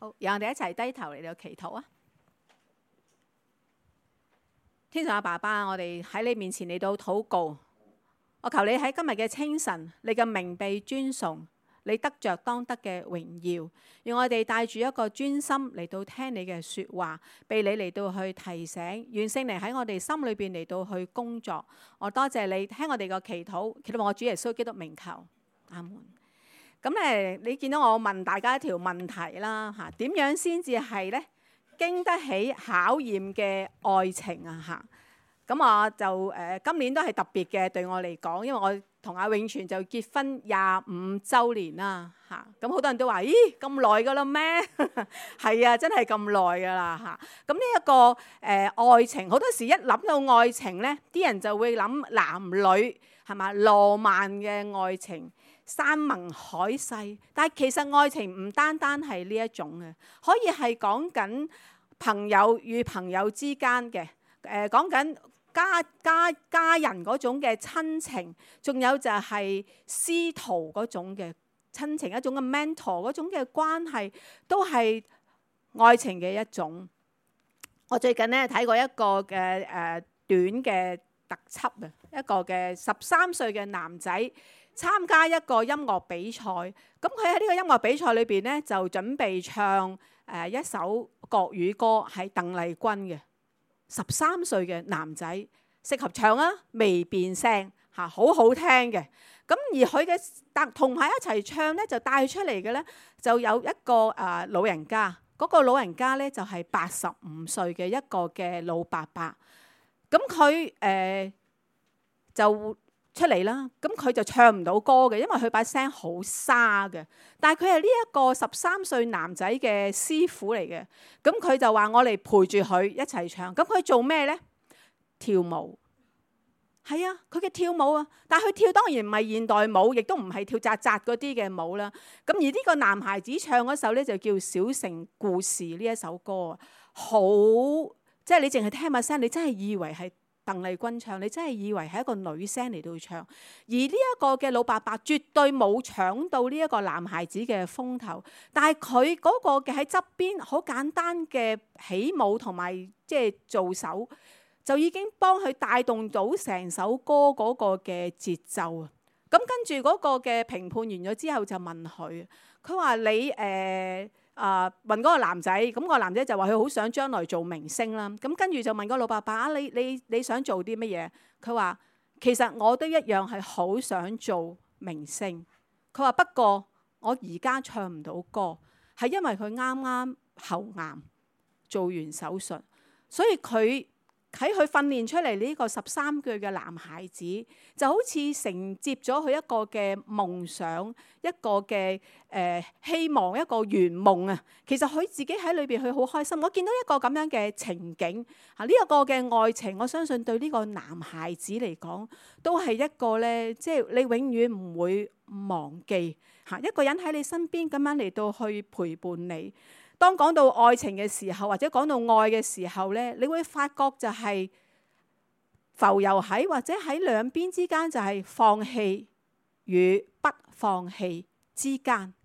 好，讓我哋一齊低頭嚟到祈禱啊！天上嘅爸爸，我哋喺你面前嚟到禱告，我求你喺今日嘅清晨，你嘅名被尊崇，你得着當得嘅榮耀，讓我哋帶住一個專心嚟到聽你嘅說話，被你嚟到去提醒，願聖靈喺我哋心裏邊嚟到去工作。我多謝你聽我哋個祈禱，祈禱我主耶穌基督名求，阿門。咁你見到我問大家一條問題啦嚇，點樣先至係咧經得起考驗嘅愛情啊嚇？咁我就今年都係特別嘅對我嚟講，因為我同阿永全就結婚25週年啦嚇。咁好多人都話：咦，咁耐噶啦咩？係啊，真係咁耐噶啦嚇。咁呢一個愛情，好多時一諗到愛情咧，啲人就會諗男女係嘛，浪漫嘅愛情。山盟海誓，但係其實愛情唔單單係呢一種嘅，可以係講緊朋友與朋友之間嘅，講緊家人嗰種嘅親情，仲有就係師徒嗰種嘅親情，一種嘅 mentor 嗰種嘅關係，都係愛情嘅一種。我最近咧睇過一個嘅短嘅特輯啊，一個嘅13歲嘅男仔。參加一個音樂比賽，咁佢喺呢個音樂比賽裏邊咧就準備唱一首國語歌，係鄧麗君嘅。13歲嘅男仔適合唱啊，未變聲嚇，好好聽嘅。咁而佢嘅同埋一齊唱咧，就帶出嚟嘅咧就有一個老人家，嗰個老人家咧就係85歲嘅一個嘅老伯伯。咁佢就出嚟啦，咁佢就唱唔到歌嘅，因為佢把聲好沙嘅。但係佢係呢一個13歲男仔嘅師傅嚟嘅，咁佢就話我嚟陪住佢一齊唱。咁佢做咩呢？跳舞。係啊，佢嘅跳舞啊，但係佢跳當然唔係現代舞，亦都唔係跳扎扎嗰啲嘅舞啦。咁而呢個男孩子唱嗰首呢，就叫《小城故事》呢一首歌啊，好即係你淨係聽把聲，你真係以為係鄧麗君唱，你真係以為係一個女聲嚟到唱，而呢一個嘅老伯伯絕對冇搶到呢一個男孩子嘅風頭，但係佢嗰個嘅喺側邊好簡單嘅起舞同埋即係做手，就已經幫佢帶動到成首歌嗰個嘅節奏啊！咁跟住嗰個嘅評判完咗之後就問佢，佢話你問嗰個男仔，咁個男仔就話佢好想將來做明星啦。咁跟住就問個老伯伯啊，你想做啲乜嘢？佢話其實我都一樣係好想做明星。佢話不過我而家唱唔到歌，係因為佢啱啱喉癌做完手術，所以佢喺佢訓練出嚟呢個13歲嘅男孩子，就好似承接咗佢一個嘅夢想，一個嘅希望，一個圓夢啊！其實佢自己喺裏邊，佢好開心。我見到一個咁樣嘅情景嚇，呢一個嘅愛情，我相信對呢個男孩子嚟講，都係一個咧，即係你永遠唔會忘記嚇一個人喺你身邊咁樣嚟到去陪伴你。當講到愛情嘅時候，或者講到愛嘅時候咧，你會發覺就係浮游喺或者喺兩邊之間，就係放棄與不放棄之間。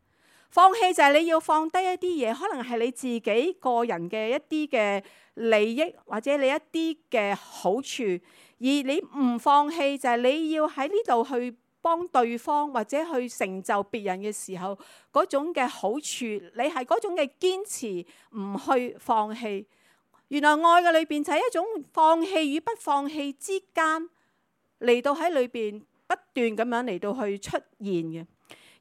放棄就係你要放低一啲嘢，可能係你自己個人嘅一啲嘅利益，或者你一啲嘅好處，而你唔放棄就係你要喺呢度去幫對方或者去成就別人嘅時候，嗰種嘅好處，你係嗰種嘅堅持，唔去放棄。原來愛嘅裏邊就係一種放棄與不放棄之間，嚟到喺裏邊不斷咁樣嚟到去出現嘅。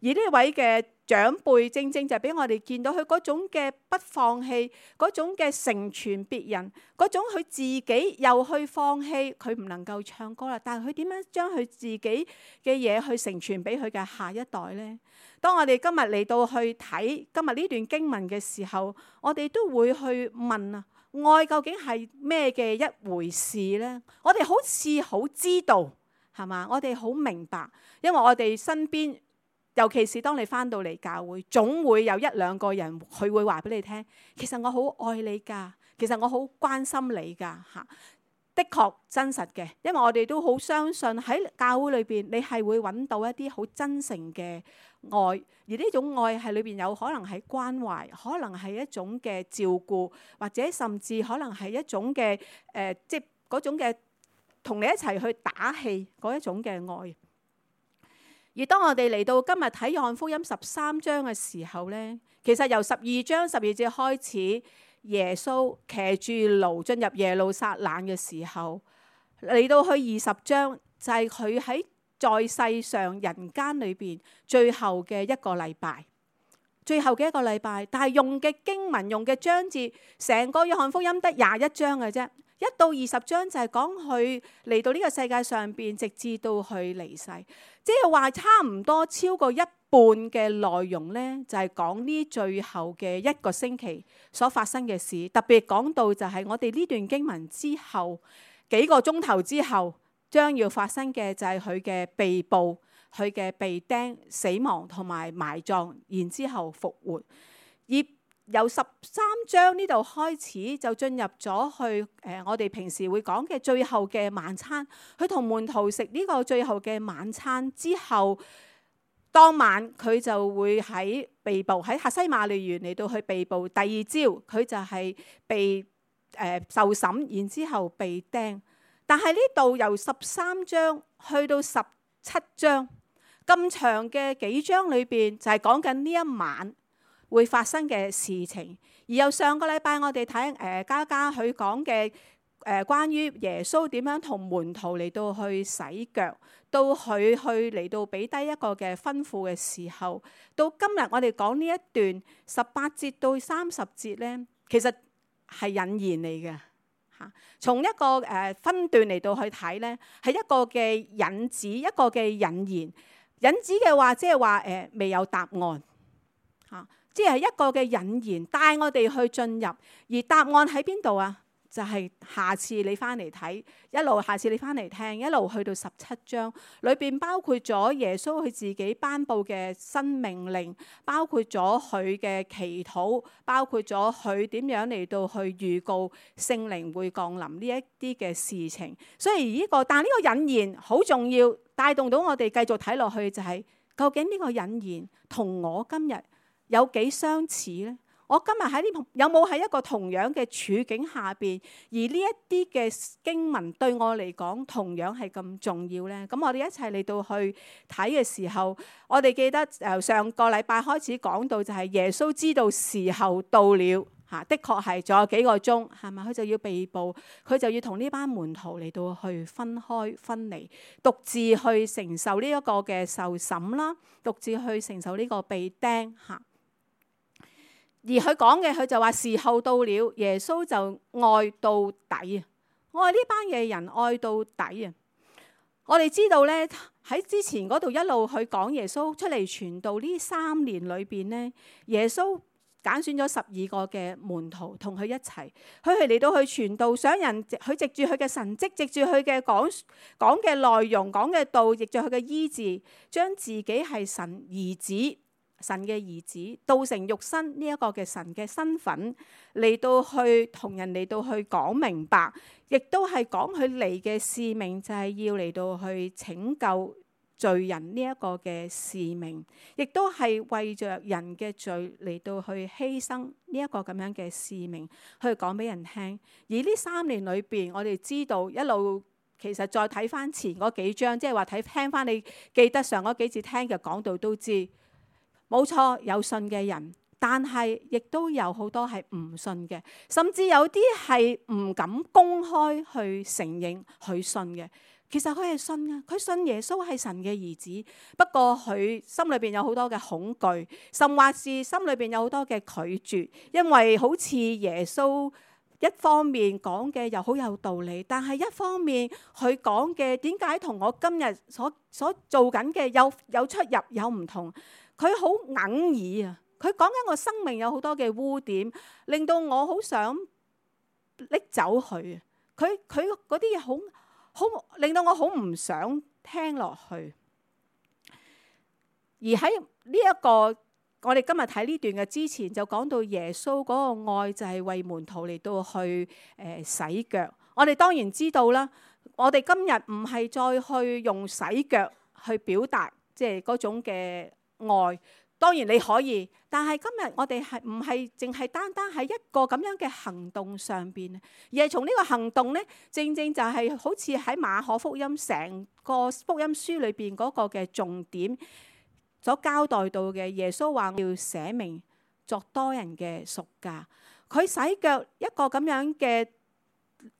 而呢位嘅長輩正正就俾我哋見到佢嗰種嘅不放棄，嗰種嘅成全別人，嗰種佢自己又去放棄，佢唔能夠唱歌啦。但係佢點樣將佢自己嘅嘢去成全俾佢嘅下一代呢？當我哋今日嚟到去睇今日呢段經文嘅時候，我哋都會去問啊，愛究竟係咩嘅一回事呢？我哋好似好知道係嘛？我哋好明白，因為我哋身邊。尤其是當你返到嚟教會，總會有一兩個人佢會話俾你聽，其實我好愛你㗎，其實我好關心你㗎嚇。的確真實嘅，因為我哋都好相信喺教會裏邊，你係會揾到一啲好真誠嘅愛，而呢種愛係裏邊有可能係關懷，可能係一種嘅照顧，或者甚至可能係一種嘅即係嗰種嘅同你一齊去打氣嗰一種嘅愛。而當我哋嚟到今日睇約翰福音13章嘅時候呢，其實由12章12節開始，耶穌騎住驢進入耶路撒冷嘅時候，嚟到去20章就係佢喺在世上人間裏邊最後嘅一個禮拜，最後嘅一個禮拜。但係用嘅經文、用嘅章節，成個約翰福音得21章嘅啫。1到20章就係講佢嚟到呢個世界上邊，直至到佢離世，即係話差唔多超過一半嘅內容呢，就係講呢最後嘅一個星期所發生嘅事。特別講到就係我哋呢段經文之後幾個鐘頭之後將要發生嘅，就係佢嘅被捕、佢嘅被釘、死亡同埋埋葬，然之後復活。而由13章呢度開始就進入咗去我哋平時會講嘅最後嘅晚餐。佢同門徒食呢個最後嘅晚餐之後，當晚佢就會喺被捕喺客西馬尼園嚟到去被捕。第二朝佢就係被受審，然之後被釘。但係呢度由13章去到17章咁長嘅幾章裏邊，就係講緊呢一晚會發生嘅事情。而由上個禮拜我哋睇嘉嘉佢講嘅關於耶穌點樣同門徒嚟到去洗腳，到佢去嚟到俾低一個嘅吩咐嘅時候，到今日我哋講呢一段18節到30節呢，其實係引言嚟嘅嚇。從一個分段嚟到去睇呢，係一個嘅引子，一個嘅引言。引子嘅話，即係話未有答案嚇。即係一個嘅引言，帶我哋去進入，而答案喺邊度啊？就係下次你翻嚟睇，一路下次你翻嚟聽，一路去到17章裏邊，包括咗耶穌佢自己頒布嘅新命令，包括咗佢嘅祈禱，包括咗佢點樣嚟到去預告聖靈會降臨呢一啲嘅事情。所以但係呢個引言好重要，帶動到我哋繼續睇落去，就係究竟呢個引言同我今日有幾相似呢？我今日喺呢有冇喺一個同樣嘅處境下邊，而呢一啲嘅經文對我嚟講同樣係咁重要呢？咁我哋一齊嚟到去睇嘅時候，我哋記得上個禮拜開始講到就係耶穌知道時候到了嚇，的確係仲有幾個鐘係咪？佢就要被捕，佢就要同呢班門徒嚟到去分開分離，獨自去承受呢一個嘅受審啦，獨自去承受呢個被釘嚇。而佢講嘅，佢就話時候到了，耶穌就愛到底啊！愛呢班嘅人愛到底啊！我哋知道咧，喺之前嗰度一路去講耶穌出嚟傳道呢3年裏邊咧，耶穌揀選咗12個嘅門徒同佢一齊，佢係嚟到去傳道，想人佢藉住佢嘅神蹟，藉住佢嘅講嘅內容、講嘅道，藉住佢嘅醫治，將自己係神兒子。神嘅兒子道成肉身呢一個嘅神嘅身份嚟到去同人嚟到去講明白，亦都係講佢嚟嘅使命就係要嚟到去拯救罪人呢一個嘅使命，亦都係為着人嘅罪嚟到去犧牲呢一個咁樣嘅使命去講俾人聽。而呢3年裏邊，我哋知道一路其實再睇翻前嗰幾章，即係話聽翻你記得上嗰幾次聽嘅講道都知。冇錯，有信嘅人，但係亦都有好多係唔信嘅，甚至有啲係唔敢公開去承認佢信嘅。其實佢係信嘅，佢信耶穌係神嘅兒子，不過佢心裏邊有好多嘅恐懼，甚或是心裏邊有好多嘅拒絕，因為好似耶穌一方面講嘅又好有道理，但係一方面佢講嘅點解同我今日所做緊嘅有出入有唔同？佢好哽耳啊！佢講緊我生命有好多嘅污點，令到我好想拎走佢啊！佢嗰啲嘢好令到我好唔想聽落去。而喺呢一個我哋今日睇呢段嘅之前，就講到耶穌嗰個愛就係為門徒嚟到去洗腳。我哋當然知道啦，我哋今日唔係再去用洗腳去表達即係嗰種嘅愛。當然你可以，但係今日我哋係唔係淨係單單喺一個咁樣嘅行動上邊，而係從呢個行動呢，正正就係好似喺馬可福音成個福音書裏邊嗰個嘅重點所交代到嘅。耶穌話要捨命作多人嘅贖價，佢洗腳一個咁樣嘅，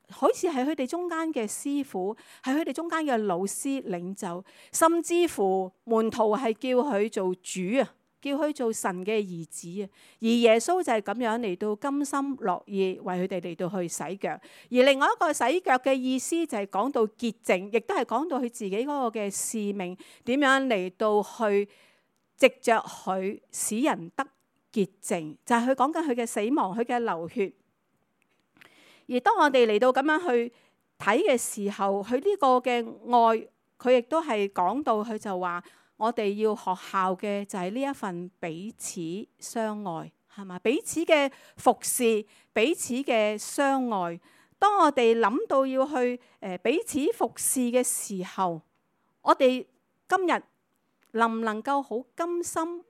好似係佢哋中間嘅師傅，係佢哋中間嘅老師領袖，甚至乎門徒係叫佢做主啊，叫佢做神嘅兒子啊。而耶穌就係咁樣嚟到甘心樂意為佢哋嚟到去洗腳。而另外一個洗腳嘅意思就係講到潔淨，亦都係講到佢自己嗰個嘅使命點樣嚟到去藉着佢使人得潔淨，就係佢講緊佢嘅死亡，佢嘅流血。而當我哋嚟到咁樣去睇嘅時候，佢呢個嘅愛，佢亦都係講到，佢就話我哋要學效嘅就係呢一份彼此相愛，係嘛？彼此嘅服侍，彼此嘅相愛。當我哋諗到要去彼此服侍嘅時候，我哋今日能唔能夠好甘心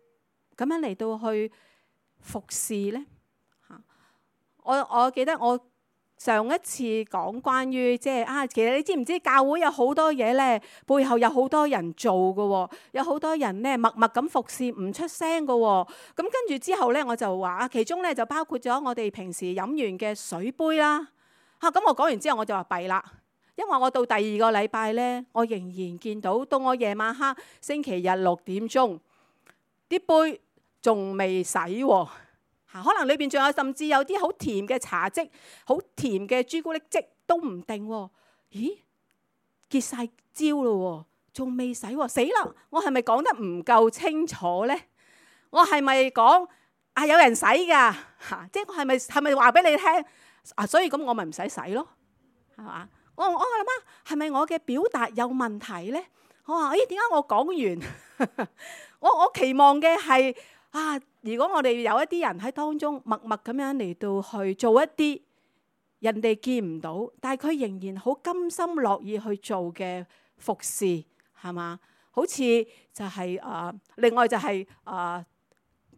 咁樣嚟到去服侍呢？我記得我上一次講關於其實你知唔知教會有好多嘢咧，背後有好多人做嘅喎，有好多人咧默默咁服侍唔出聲嘅喎。咁跟住之後咧，我就話其中咧就包括咗我哋平時飲完嘅水杯啦。咁我講完之後我就話弊啦，因為我到第二個禮拜咧，我仍然見到我夜晚黑星期日6點鐘啲杯仲未洗喎。可能裏邊仲有甚至有啲好甜嘅茶漬、好甜嘅朱古力漬都唔定喎。咦，結晒焦咯，仲未洗喎，死啦！我係咪講得唔夠清楚呢？我係咪講有人洗㗎？即係我係咪話俾你聽所以咁我咪唔使洗咯，係嘛？我諗係咪我嘅表達有問題呢？我話點解我講完我期望嘅係如果我哋有一啲人喺當中默默咁樣嚟到去做一啲人哋見唔到，但係佢仍然好甘心樂意去做嘅服侍，係嘛？好似就係另外就係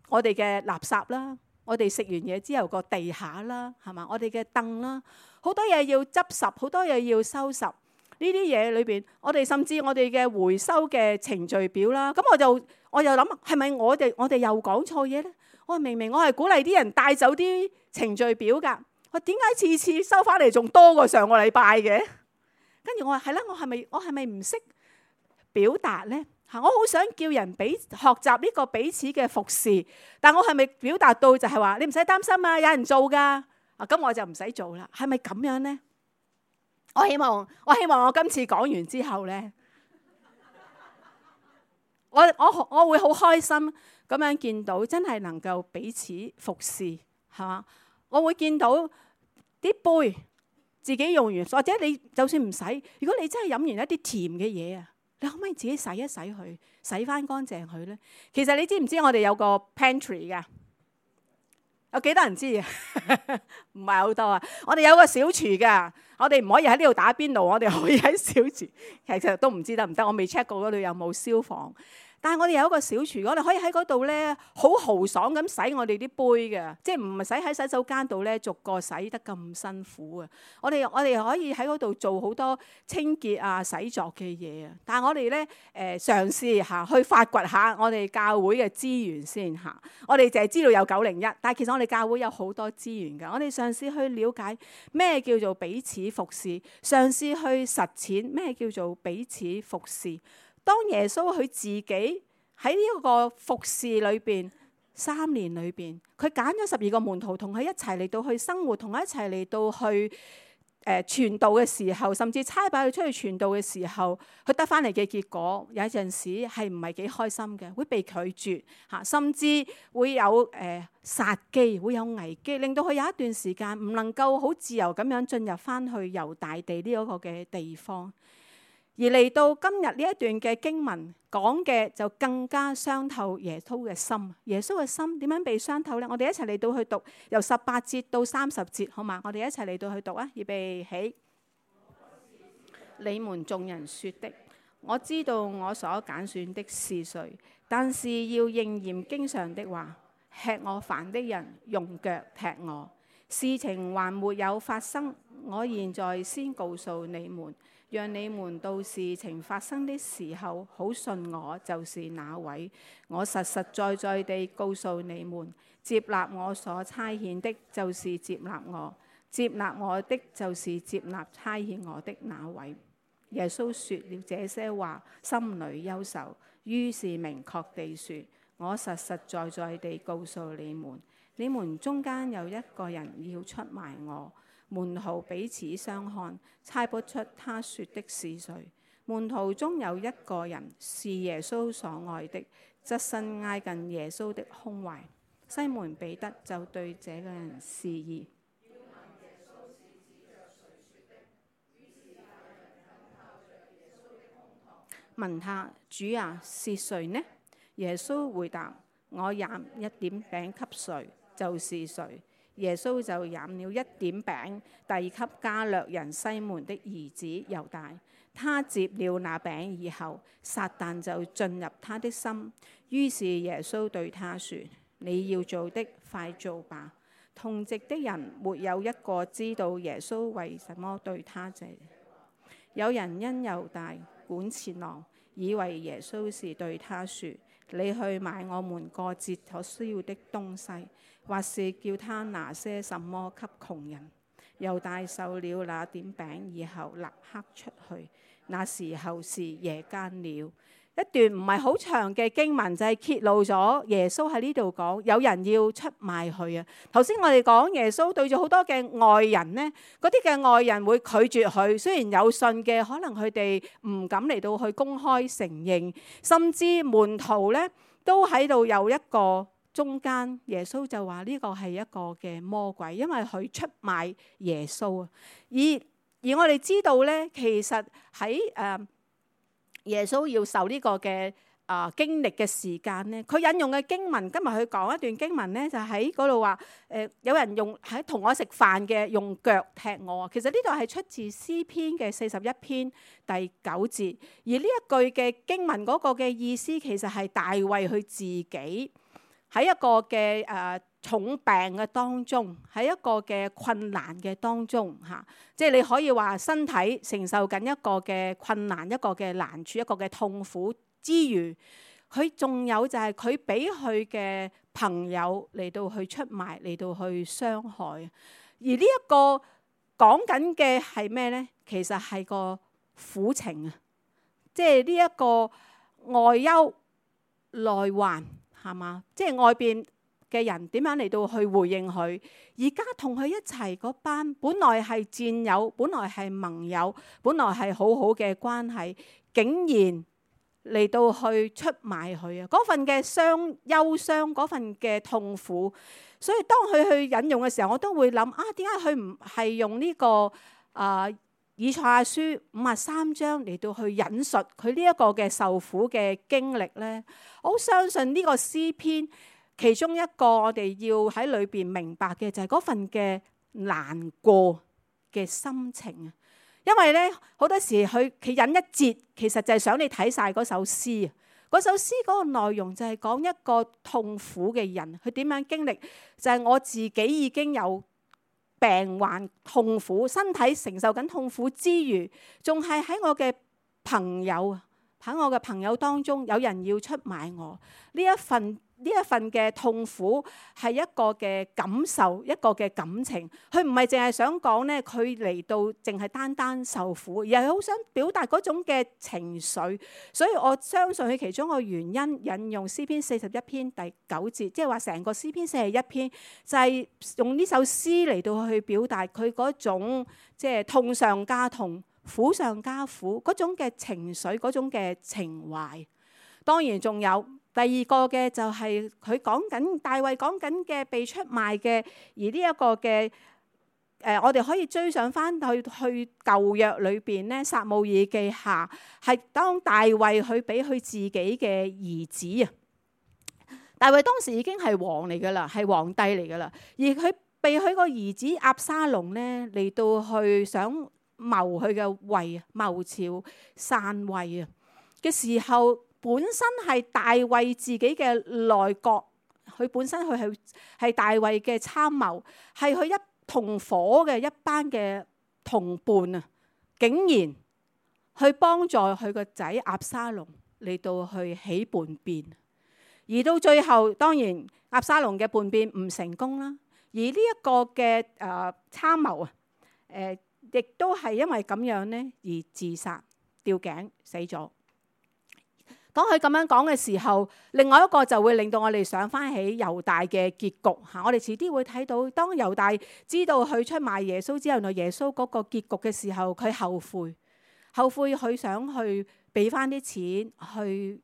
我哋嘅垃圾啦，我哋食完嘢之後個地下啦，係嘛？我哋嘅凳啦，好多嘢要執拾，好多嘢要收拾。呢啲嘢裏邊，我哋甚至我哋嘅回收嘅程序表啦，咁我又諗係咪我哋又講錯嘢咧？我明明我係鼓勵啲人帶走啲程序表㗎，我點解次次收翻嚟仲多過上個禮拜嘅？跟住我話係啦，我係咪唔識表達咧？我好想叫人學習呢個彼此嘅服侍，但我係咪表達到就係話你唔使擔心啊，有人做㗎咁我就唔使做啦？係咪咁樣咧？我希望我今次講完之後咧，我會好開心咁樣見到真係能夠彼此服侍，係嘛？我會見到啲杯自己用完，或者你就算唔洗，如果你真係飲完一啲甜嘅嘢啊，你可唔可以自己洗一洗佢，洗翻乾淨佢咧？其實你知唔知我哋有個 pantry 㗎？有幾多人知啊？唔係好多啊！我哋有個小廚㗎，我哋唔可以喺呢度打邊爐，我哋可以喺小廚。其實都唔知得唔得，我未 check 過嗰度有冇消防。但係我哋有一個小廚，我哋可以喺嗰度咧好豪爽咁洗我哋啲杯嘅，即係唔係使喺洗手間度咧逐個洗得咁辛苦啊！我哋可以喺嗰度做好多清潔啊、洗濯嘅嘢啊。但係我哋咧嘗試下去發掘下我哋教會嘅資源先嚇。我哋淨係知道有901，但係其實我哋教會有好多資源㗎。我哋嘗試去了解咩叫做彼此服侍，嘗試去實踐咩叫做彼此服侍。當耶穌佢自己喺呢個服侍裏邊3年裏邊，佢揀咗12個門徒同佢一齊嚟到去生活，同佢一齊嚟到去傳道嘅時候，甚至差派佢出去傳道嘅時候，佢得翻嚟嘅結果有陣時係唔係幾開心嘅，會被拒絕嚇，甚至會有殺機，會有危機，令到佢有一段時間唔能夠好自由咁樣進入翻去猶大地呢一個嘅地方。而嚟到今日呢一段嘅經文講嘅就更加傷透耶穌嘅心。耶穌嘅心點樣被傷透呢？我哋一齊嚟到去讀由18節到30節，好嘛？我哋一齊嚟到去讀啊！預備起。你們眾人說的，我知道我所揀選的是誰，但是要應驗經上的話，吃我飯的人用腳踢我。事情還沒有發生，我現在先告訴你們，讓你們到事情發生的時候，好信我就是那位。我實實在在地告訴你們，接納我所差遣的，就是接納我；接納我的，就是接納差遣我的那位。耶穌說了這些話，心裏憂愁，於是明確地說：我實實在在地告訴你們，你們中間有一個人要出賣我。門徒彼此相看，猜不出他說的是誰。門徒中有一個人是耶穌所愛的，側身挨近耶穌的胸懷。西門彼得就對這個人示意，問他：主啊，是誰呢？耶穌回答：我染一點餅給誰，就是誰。耶穌就染了一點餅，遞給加略人西門的兒子猶大。他接了那餅以後，撒但就進入他的心。於是耶穌對他說：你要做的，快做吧。同席的人沒有一個知道耶穌為什麼對他這。有人因猶大管錢囊，以為耶穌是對他說：你去買我們過節所需要的東西，或是叫他拿些什麼給窮人。猶大受了那點餅以後，立刻出去。那時候是夜間了。一段唔係好長嘅經文，就係揭露咗耶穌喺呢度講有人要出賣佢啊。頭先我哋講耶穌對住好多嘅外人呢，嗰啲嘅外人會拒絕佢，雖然有信嘅，可能佢哋唔敢嚟到去公開承認，甚至門徒呢都喺度有一個中間。耶穌就話呢個係一個嘅魔鬼，因為佢出賣耶穌啊。而我哋知道呢，其實喺耶穌要受呢個嘅經歷嘅時間呢，佢引用嘅經文，今日佢講一段經文呢，就喺嗰度話有人喺同我食飯嘅用腳踢我。其實呢度係出自詩篇嘅41篇第9節，而呢一句嘅經文嗰個嘅意思，其實係大衛佢自己喺一個嘅重病嘅當中，喺一個嘅困難嘅當中嚇，即係你可以話身體承受緊一個嘅困難、一個嘅難處、一個嘅痛苦之餘，佢仲有就係佢俾佢嘅朋友嚟到去出賣、嚟到去傷害。而呢一個講緊嘅係咩呢？其實係個苦情啊，即係呢一個外憂內患係嘛？即係外邊嘅人點樣嚟到去回應佢？而家同佢一齊嗰班，本來係戰友，本來係盟友，本來係好好嘅關係，竟然嚟到去出賣佢啊！嗰份嘅憂傷，嗰份嘅痛苦。所以當佢去引用嘅時候，我都會諗啊，點解佢唔係用呢個以賽亞書53章嚟到去引述佢呢一個嘅受苦嘅經歷呢？我好相信呢個詩篇。其中一個我哋要喺裏邊明白嘅就係嗰份嘅難過嘅心情啊，因為咧好多時佢引一節，其實就係想你睇晒嗰首詩啊。嗰首詩嗰個內容就係講一個痛苦嘅人，佢點樣經歷，就係我自己已經有病患痛苦，身體承受緊痛苦之餘，仲係喺我嘅朋友啊，喺我嘅朋友當中有人要出賣我。呢一份嘅痛苦係一個嘅感受，一個嘅感情。佢唔係淨係想講呢，佢嚟到淨係單單受苦，而係好想表達嗰種嘅情緒。所以我相信佢其中個原因引用詩篇41篇第9節，即係話成個詩篇41篇就係用呢首詩嚟到去表達佢嗰種即係痛上加痛、苦上加苦嗰種嘅情緒、嗰種嘅情懷。當然仲有。第二個嘅就係佢講緊大衛講緊嘅被出賣嘅，而呢一個嘅我哋可以追上翻去舊約裏邊咧，撒母耳記下係當大衛佢俾佢自己嘅兒子啊，大衛當時已經係王嚟噶啦，係皇帝嚟噶啦，而佢被佢個兒子押沙龍咧嚟到去想謀佢嘅位，謀朝篡位啊嘅時候，本身係大衛自己嘅內閣，佢本身佢係大衛嘅參謀，係佢一同伙嘅一班嘅同伴啊，竟然去幫助佢個仔押沙龍嚟到去起叛變，而到最後當然押沙龍嘅叛變唔成功啦，而呢一個嘅參謀啊，亦都係因為咁樣呢而自殺吊頸死咗。當佢咁樣講嘅時候，另外一個就會令到我哋想翻起猶大嘅結局嚇。我哋遲啲會睇到，當猶大知道佢出賣耶穌之後，原來耶穌嗰個結局嘅時候，佢後悔佢想去俾翻啲錢去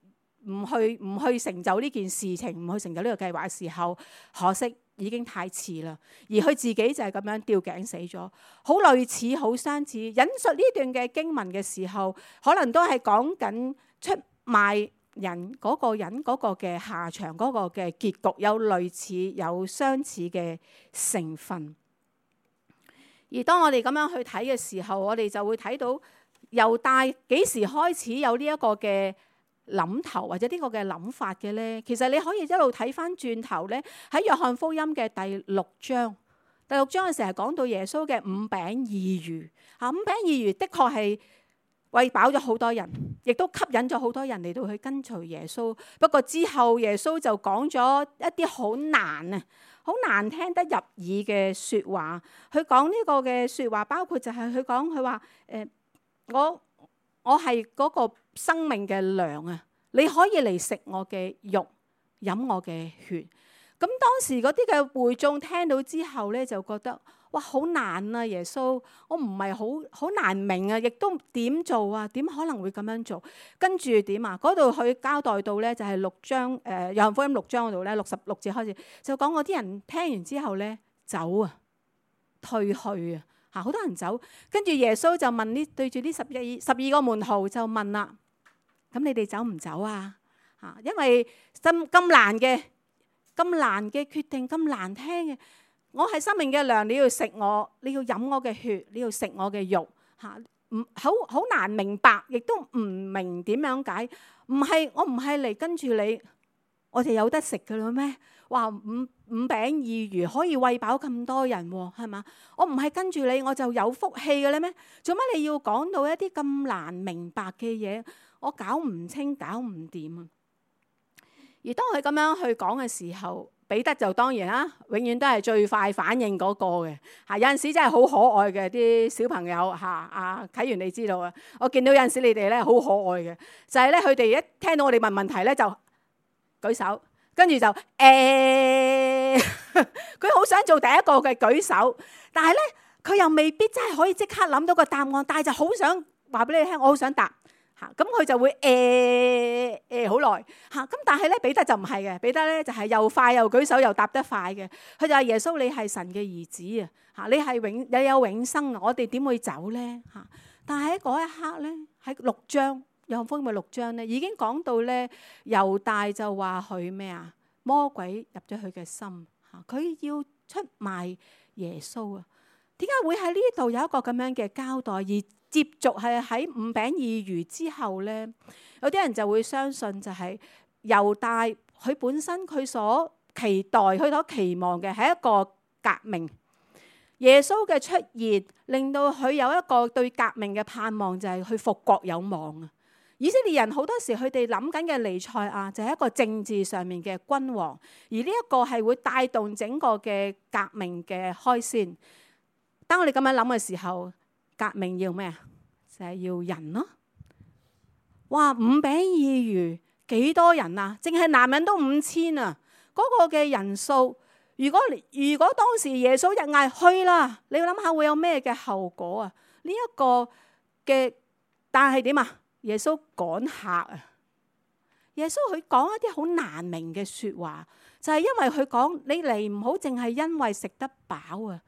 唔去成就呢件事情，唔去成就呢個計劃嘅時候，可惜已經太遲啦。而佢自己就係咁樣吊頸死咗，好類似好相似。引述呢段嘅經文嘅時候，可能都係講緊出賣人嗰個人嗰個嘅下場，嗰個嘅結局有類似有相似嘅成分。而當我哋咁樣去睇嘅時候，我哋就會睇到猶大幾時開始有呢一個嘅諗頭或者呢個嘅諗法嘅呢？其實你可以一路睇翻轉頭呢，喺約翰福音嘅第六章嘅時候講到耶穌嘅5餅2魚嚇，5餅2魚的確係餵飽咗好多人，亦都吸引咗好多人嚟到去跟隨耶穌。不過之後耶穌就講咗一啲好難聽得入耳嘅説話。佢講呢個嘅説話，包括就係佢話我係嗰個生命嘅糧啊！你可以嚟食我嘅肉，飲我嘅血。咁當時嗰啲嘅會眾聽到之後咧，就覺得哇，好難啊！耶穌，我唔係好難明啊，亦都點做啊？點可能會咁樣做？跟住點啊？嗰度佢交代到咧，就係6章約翰福音6章嗰度咧，66節開始就講嗰啲人聽完之後咧，走啊，退去啊。好多人走，跟住耶穌就問對住呢12個門徒就問啦：咁你哋走唔走啊？因為咁難嘅決定，咁難聽嘅，我係生命嘅糧，你要食我，你要飲我嘅血，你要食我嘅肉，好難明白，亦都唔明點樣解。我唔係嚟跟住你，我哋有得食㗎啦咩？哇！5餅2魚可以餵飽咁多人喎，係嘛？我唔係跟住你，我就有福氣嘅咧咩？做乜你要講到一啲咁難明白嘅嘢？我搞唔清，搞唔掂啊！而當佢咁樣去講嘅時候，彼得就當然啦，永遠都係最快反應嗰個嘅嚇。有陣時真係好可愛嘅啲小朋友嚇，啟源你知道啊？我見到有陣時你哋咧好可愛嘅，就係咧佢哋一聽到我哋問問題咧就舉手。跟住就佢好想做第一個嘅舉手，但係咧佢又未必真係可以即刻諗到個答案，但係就好想話俾你聽，我好想答嚇，咁佢就會好耐嚇。咁但係咧彼得就唔係嘅，彼得咧就係又快又舉手又答得快嘅。佢就話耶穌，你係神嘅兒子啊嚇，你有永生啊，我哋點會走咧嚇？但係喺嗰一刻咧，喺6章。約翰福音6章咧，已經講到咧，猶大就話佢咩啊？魔鬼入咗佢嘅心嚇，佢要出賣耶穌啊！點解會喺呢度有一個咁樣嘅交代？而接續係喺5餅2魚之後咧，有啲人就會相信就係猶大佢本身佢所期待、佢所期望嘅係一個革命。耶穌嘅出現令到佢有一個對革命嘅盼望，就係去復國有望啊！以色列人好多時佢哋諗緊嘅彌賽亞就係一個政治上面嘅君王，而呢一個係會帶動整個嘅革命嘅開先。當我哋咁樣諗嘅時候，革命要咩啊？就係要人咯。哇！5餅2魚幾多人啊？淨係男人都5000啊！嗰個嘅人數，如果當時耶穌一嗌去啦，你要諗下會有咩嘅後果啊？呢一個嘅，但係點啊？耶穌趕客啊！耶穌佢講一啲好難明嘅説話，就係因為佢講你嚟唔好淨係因為食得飽啊，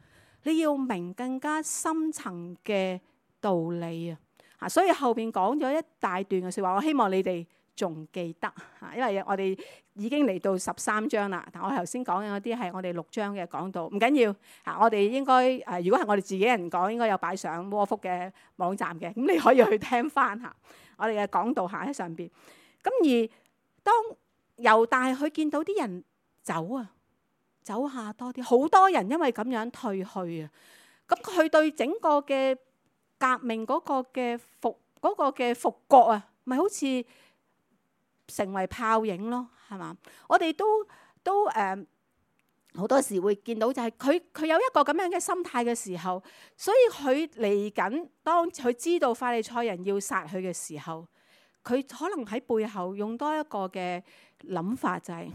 你要明更加深層嘅道理啊！所以後邊講咗一大段嘅説話，我希望你哋仲記得嚇，因為我哋已經嚟到13章啦。但我頭先講嘅嗰啲係我哋6章嘅講道，唔緊要嚇。我哋應該如果係我哋自己人講，應該有擺上窩福嘅網站嘅，咁你可以去聽翻嚇我哋嘅講道下喺上邊。咁而當猶大佢見到啲人走下多啲，好多人因為咁樣退去啊。咁佢對整個嘅革命嗰個嘅復國啊，咪好似成為泡影咯，係嘛？我哋都好多時會見到就係佢有一個咁樣嘅心態嘅時候，所以佢嚟緊當佢知道法利賽人要殺佢嘅時候，佢可能喺背後用多一個嘅諗法，就係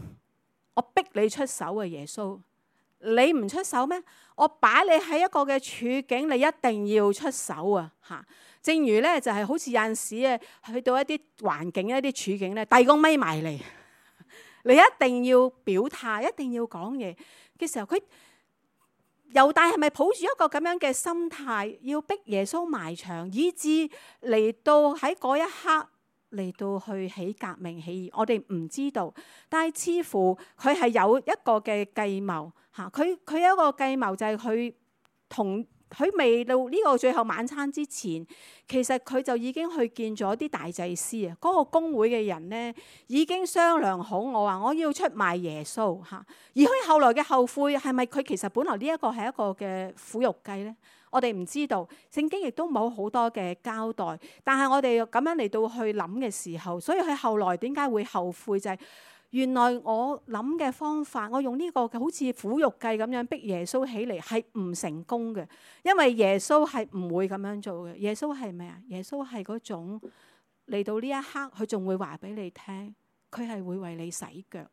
我逼你出手啊，耶穌，你唔出手咩？我擺你喺一個嘅處境，你一定要出手啊！嚇，正如咧就係好似有陣時啊，去到一啲環境、一啲處境咧，遞個咪埋嚟，你一定要表態，一定要講嘢嘅時候，佢猶大係咪抱住一個咁樣嘅心態，要逼耶穌埋牆，以致嚟到喺嗰一刻嚟到去起革命起義？我哋唔知道，但係似乎佢係有一個嘅計謀嚇。佢有一個計謀就係佢未到呢個最後晚餐之前，其實佢就已經去見咗啲大祭司啊，嗰個公會嘅人呢，已經商量好，我話我要出賣耶穌嚇。而佢後來嘅後悔係咪佢其實本來呢一個係一個嘅苦肉計呢？我哋唔知道，聖經亦都冇好多嘅交代。但係我哋咁樣嚟到去諗嘅時候，所以佢後來點解會後悔？就係原來我諗嘅方法，我用呢個好似苦肉計咁樣逼耶穌起嚟係唔成功嘅，因為耶穌係唔會咁樣做嘅。耶穌係咩啊？耶穌係嗰種嚟到呢一刻，佢仲會話俾你聽，佢係會為你洗腳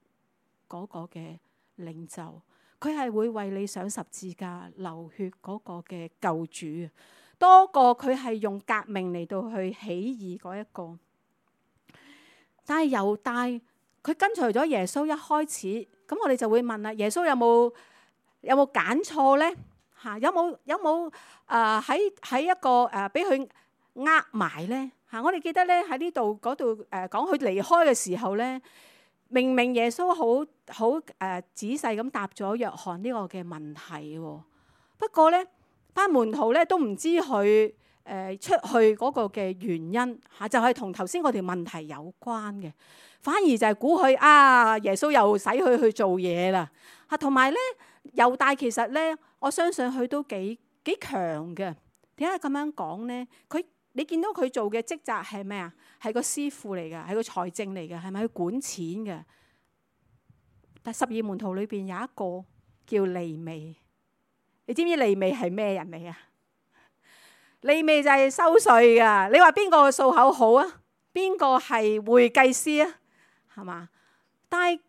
嗰個嘅領袖。佢係會為你上十字架流血嗰個嘅救主，多過佢係用革命嚟到去起義嗰一個。但係猶大佢跟隨咗耶穌一開始，咁我哋就會問啦：耶穌有冇揀錯咧？嚇，有冇喺一個俾佢埋咧？嚇，我哋記得咧喺呢度嗰度講佢離開嘅時候咧。明明耶穌好仔細咁答咗約翰呢個嘅問題喎，不過咧班門徒咧都唔知佢出去嗰個嘅原因嚇，就係同頭先嗰條問題有關嘅，反而就係估佢耶穌又使佢去做嘢啦嚇，同埋咧猶大其實咧，我相信佢都幾強嘅。點解咁樣講咧？你見到佢做嘅職責係咩啊？係個師傅嚟嘅，係個財政嚟嘅，係咪去管錢嘅？但12門徒裏邊有一個叫利未，你知唔知利未係咩人嚟啊？利未就係收稅噶。你話邊個數口好啊？邊個係會計師啊？係嘛？但係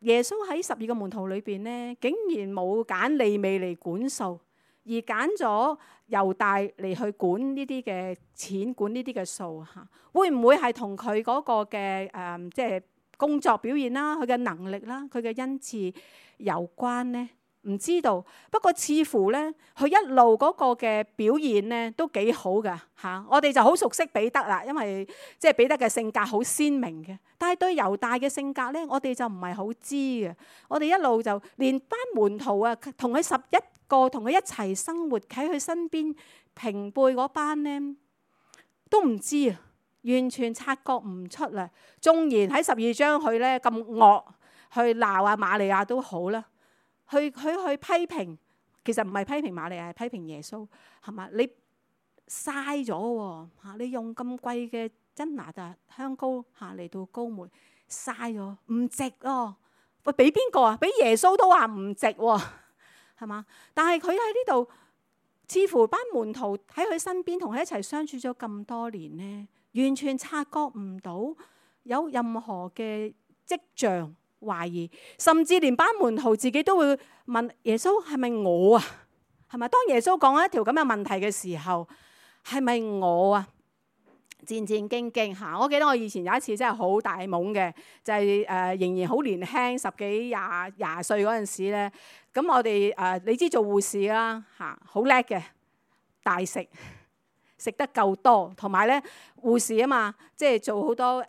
耶穌喺12個門徒裏邊咧，竟然冇揀利未嚟管數，而揀咗猶大嚟去管呢啲嘅錢，管呢啲嘅數嚇，會唔會係同佢嗰個嘅即係工作表現啦、佢嘅能力啦、佢嘅恩賜有關呢？唔知道。不過似乎咧，佢一路嗰個嘅表現咧都幾好噶嚇。我哋就好熟悉彼得啦，因為即係彼得嘅性格好鮮明嘅。但係對猶大嘅性格咧，我哋就唔係好知嘅。我哋一路就連班門徒啊，同佢11個同佢一齊生活喺佢身邊平輩嗰班咧，都唔知啊，完全察覺唔出啦。縱然喺12章佢咧咁惡去鬧啊瑪利亞都好啦，去批評，其實唔係批評瑪利亞，係批評耶穌，係嘛？你嘥咗喎嚇，你用咁貴嘅真哪噠香膏嚇嚟到膏抹，嘥咗，唔值咯。喂，俾邊個啊？俾耶穌都話唔值喎，係嘛？但係佢喺呢度，似乎班門徒喺佢身邊同佢一齊相處咗咁多年呢，完全察覺唔到有任何嘅跡象懷疑，甚至連班門徒自己都會問耶穌係咪我啊？係咪？當耶穌講一條咁嘅問題嘅時候，係咪我啊？戰戰兢兢嚇！我記得我以前有一次真係好大懵嘅，就係仍然好年輕10幾廿歲嗰陣時咧。咁我哋你知做護士啦嚇，好叻嘅，大食得夠多，同埋咧護士啊嘛，即係做好多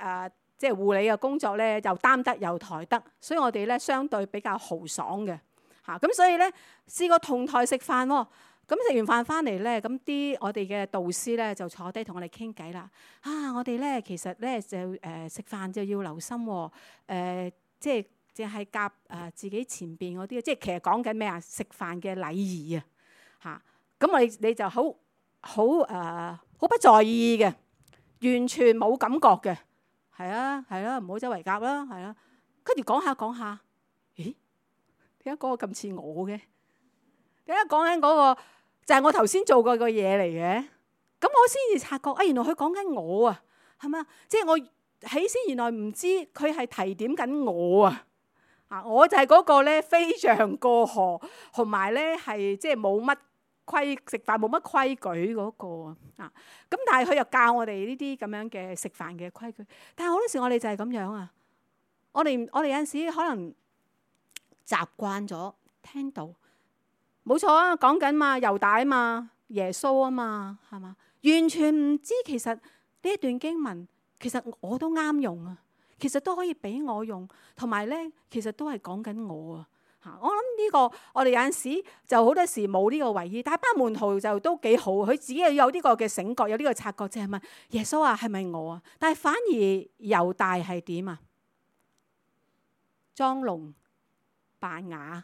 即係護理嘅工作咧，又擔得又抬得，所以我哋咧相對比較豪爽嘅嚇。咁所以咧試過同台食飯喎。咁食完飯翻嚟咧，咁我哋嘅導師咧就坐低同我哋傾偈啦。我哋咧其實咧就食飯就要留心喎。即係淨係夾自己前邊嗰啲，即係其實講緊咩啊？食飯嘅禮儀啊嚇。咁你就好不在意嘅，完全冇感覺嘅。係啊，唔好周圍夾啦，係啊。跟住講下，咦？點解嗰個咁似我嘅？點解講緊嗰個就係我頭先做過個嘢嚟嘅？咁我先至察覺，原來佢講緊我啊，係咪啊？即係我起先原來唔知佢係提點緊我啊！我就係嗰個咧飛象過河，同埋咧係即係冇乜食飯冇乜規矩嗰個啊！咁但係佢又教我哋呢啲咁樣嘅食飯嘅規矩。但係好多時我哋就係咁樣啊！我哋有陣時可能習慣咗聽到。冇錯啊，講緊嘛，猶大啊嘛，耶穌啊嘛，係嘛？完全唔知其實呢一段經文，其實我都啱用啊，其實都可以俾我用，同埋咧，其實都係講緊我啊嚇。我諗呢個我哋有陣時就好多時冇呢個為意，但係班門徒就都幾好，佢自己又有呢個嘅醒覺，有呢個察覺，就係問耶穌啊，係咪我啊？但係反而猶大係點啊？裝聾扮啞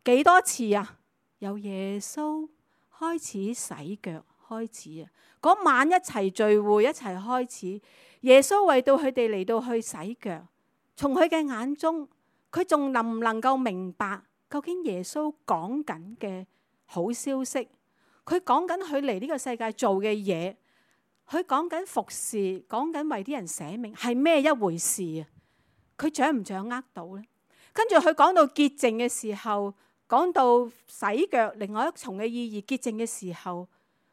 幾多次啊？由耶穌開始洗腳開始啊！嗰晚一齊聚會一齊開始，耶穌為到佢哋嚟到去洗腳。從佢嘅眼中，佢仲能唔能夠明白究竟耶穌講緊嘅好消息？佢講緊佢嚟呢個世界做嘅嘢，佢講緊服侍，講緊為啲人捨命係咩一回事啊？佢掌唔掌握到呢？跟住佢講到潔淨嘅時候。講到洗腳，另外一重嘅意義，潔淨嘅時候，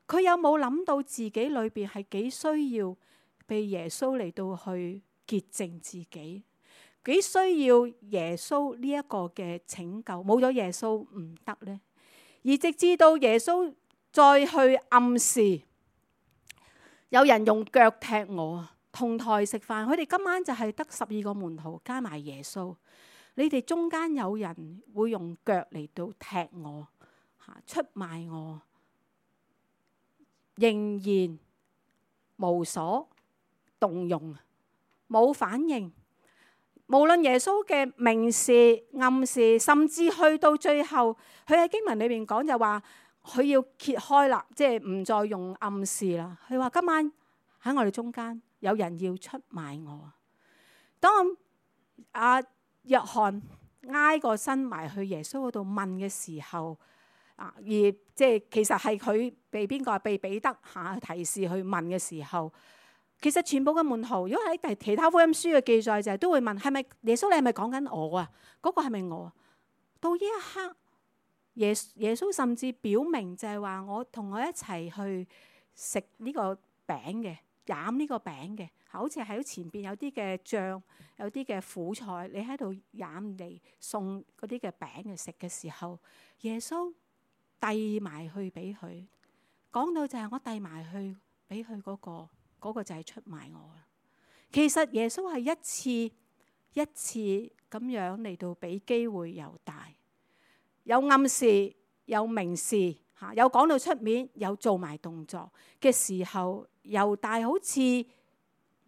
佢有冇諗到自己裏邊係幾需要被耶穌嚟到去潔淨自己？幾需要耶穌呢一個嘅拯救？冇咗耶穌唔得呢？而直至到耶穌再去暗示，有人用腳踢我啊！同台食飯，佢哋今晚就係得12個門徒加埋耶穌。你哋中間有人會用腳嚟到踢我，出賣我，仍然無所動用，冇反應。無論耶穌嘅明示、暗示，甚至去到最後，佢喺經文裏邊講就話，佢要揭開啦，即係唔再用暗示啦。佢話今晚喺我哋中間有人要出賣我。當約翰挨個身埋去耶穌嗰度問嘅時候，而即係其實係佢被邊個？被彼得提示去問嘅時候，其實全部嘅門徒，如果喺其他福音書嘅記載就係都會問：係咪耶穌？你係咪講緊我啊？嗰個係咪我啊？到呢一刻，耶穌甚至表明就係話：我同我一齊去食呢個餅嘅，飲呢個餅嘅。好似喺前邊有啲嘅醬，有啲嘅苦菜，你喺度飲嚟送嗰啲嘅餅嚟食嘅時候，耶穌遞埋去俾佢，講到就係我遞埋去俾佢嗰個就係出賣我啦。其實耶穌係一次咁樣嚟到俾機會猶大，有暗示，有明示，有講到出面，有做埋動作嘅時候，猶大好似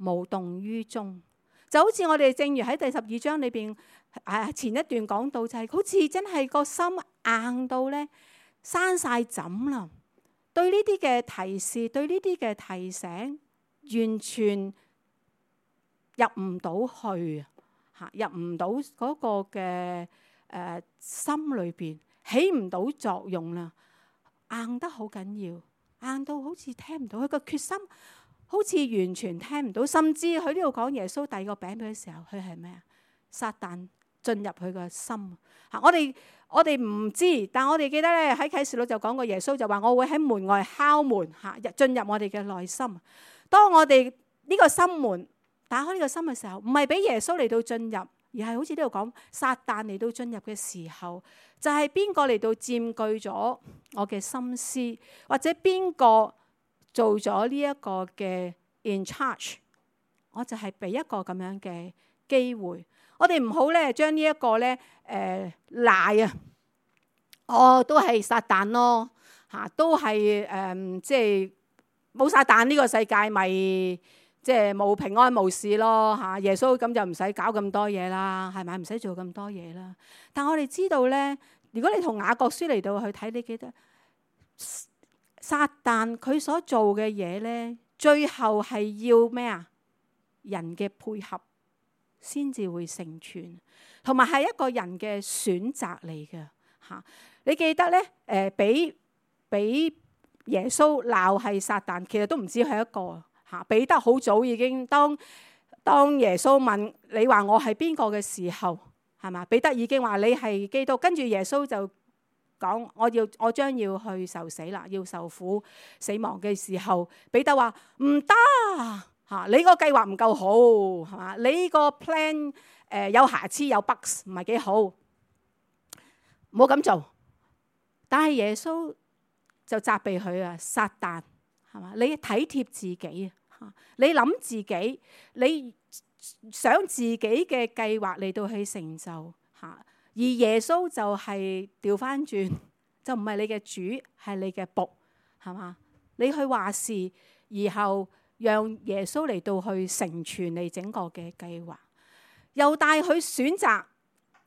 無動於衷，就好似我哋正如喺第12章裏邊前一段講到，就係好似真係個心硬到咧生晒枕啦。對呢啲嘅提示，對呢啲嘅提醒，完全入唔到去入唔到嗰個嘅心裏邊，起唔到作用啦，硬得好緊要，硬到好似聽唔到佢個決心。好似完全聽唔到，甚至佢呢度講耶穌遞個餅俾佢嘅時候，佢係咩啊？撒旦進入佢個心。我哋唔知，但我哋記得咧喺啟示錄就講過，耶穌就話：我會喺門外敲門進入我哋嘅內心。當我哋呢個心門打開呢個心嘅時候，唔係俾耶穌嚟到進入，而係好似呢度講撒旦嚟到進入嘅時候，就係邊個嚟到佔據咗我嘅心思，或者邊個做咗呢一個嘅 in charge 我就係俾一個咁樣嘅機會。我哋唔好咧將呢一個咧賴啊，都係撒旦咯嚇，都係即係冇撒旦呢個世界咪即係冇平安無事咯嚇。耶穌咁就唔使搞咁多嘢啦，係咪？唔使做咁多嘢啦。但我哋知道咧，如果你同雅各書嚟到去睇，你記得撒旦佢所做嘅嘢咧，最後係要咩啊？人嘅配合先至會成全，同埋係一個人嘅選擇嚟嘅嚇。你記得咧？俾耶穌鬧係撒旦，其實都唔止係一個嚇。彼得好早已經當耶穌問你話我係邊個嘅時候，係嘛？彼得已經話你係基督，跟住耶穌就講我將要去受死啦，要受苦死亡嘅時候，彼得話唔得嚇，你個計劃唔夠好係嘛？你個 plan 有瑕疵有 bugs 唔係幾好，唔好咁做。但係耶穌就責備佢啊，撒旦係嘛？你體貼自己啊，你諗自己，你想自己嘅計劃嚟到去成就嚇，而耶穌就係調翻轉，就唔係你嘅主，係你嘅僕係嘛？你去話事，然後讓耶穌嚟到去成全你整個嘅計劃，又帶佢選擇。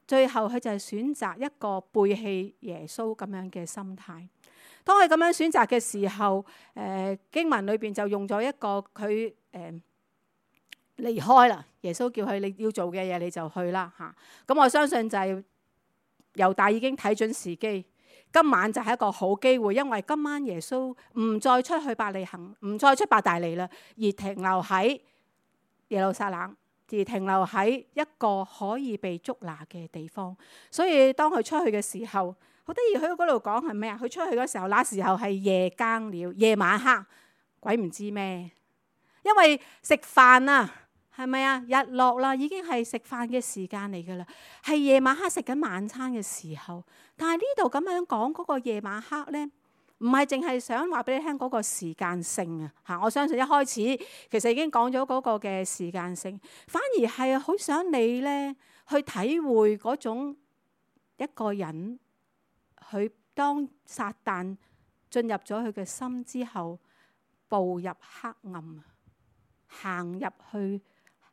最後佢就係選擇一個背棄耶穌咁樣嘅心態。當佢咁樣選擇嘅時候，經文裏邊就用咗一個佢離開啦。耶穌叫佢你要做嘅嘢你就去啦嚇。咁我相信就係猶大已經睇準時機，今晚就係一個好機會，因為今晚耶穌唔再出去伯利恆，唔再出伯大尼啦，而停留喺耶路撒冷。而停留喺一個可以被捉拿嘅地方，所以當佢出去嘅時候，好得意。佢嗰度講係咩啊？佢出去嗰時候，那時候係夜更了，夜晚黑，鬼唔知咩。因為食飯啊，係咪啊？日落啦，已經係食飯嘅時間嚟噶啦，係夜晚黑食緊晚餐嘅時候。但係呢度咁樣講嗰個夜晚黑咧，唔係淨係想話俾你聽嗰個時間性啊嚇！我相信一開始其實已經講咗嗰個嘅時間性，反而係好想你咧去體會嗰種一個人，佢當撒旦進入咗佢嘅心之後，步入黑暗，行入去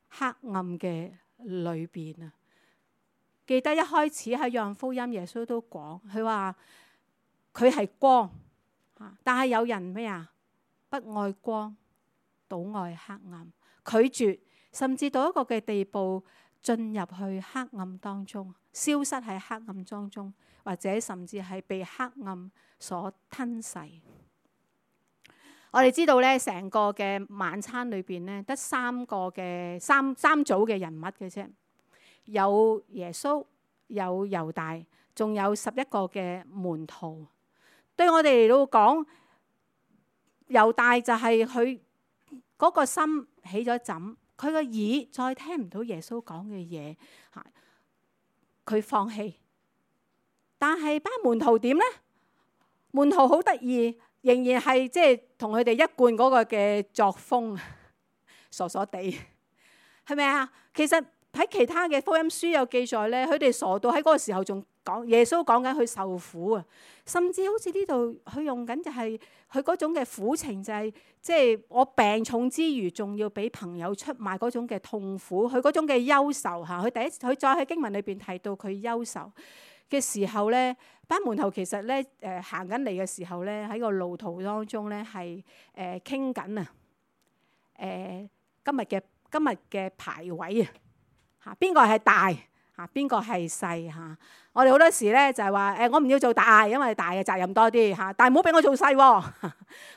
黑暗嘅裏邊啊！記得一開始喺約翰福音，耶穌都講，佢話佢係光。但係有人咩啊？不愛光，倒愛黑暗，拒絕，甚至到一個嘅地步，進入去黑暗當中，消失喺黑暗當中，或者甚至係被黑暗所吞噬。我哋知道咧，成個嘅晚餐裏邊咧，得三組嘅人物嘅啫，有耶穌，有猶大，仲有11個嘅門徒。對我哋嚟到講，猶大就係佢嗰個心起咗枕，佢個耳再聽唔到耶穌講嘅嘢，佢放棄。但係班門徒點呢？門徒好得意，仍然係即係同佢哋一貫嗰個嘅作風，傻傻地，係咪啊？其實喺其他嘅福音書有記載咧，佢哋傻到喺嗰個時候仲講耶穌講緊佢受苦啊，甚至好似呢度佢用緊就係佢嗰種嘅苦情，就係即係我病重之餘，仲要俾朋友出賣嗰種嘅痛苦，佢嗰種嘅憂愁嚇。佢再喺經文裏邊提到佢憂愁嘅時候咧，班門徒其實咧行緊嚟嘅時候咧，喺個路途當中咧係傾緊啊今日嘅排位啊嚇，邊個係大嚇，邊個係細嚇？我哋好多時咧就係話我唔要做大，因為大嘅責任多啲嚇，但係唔好俾我做細喎。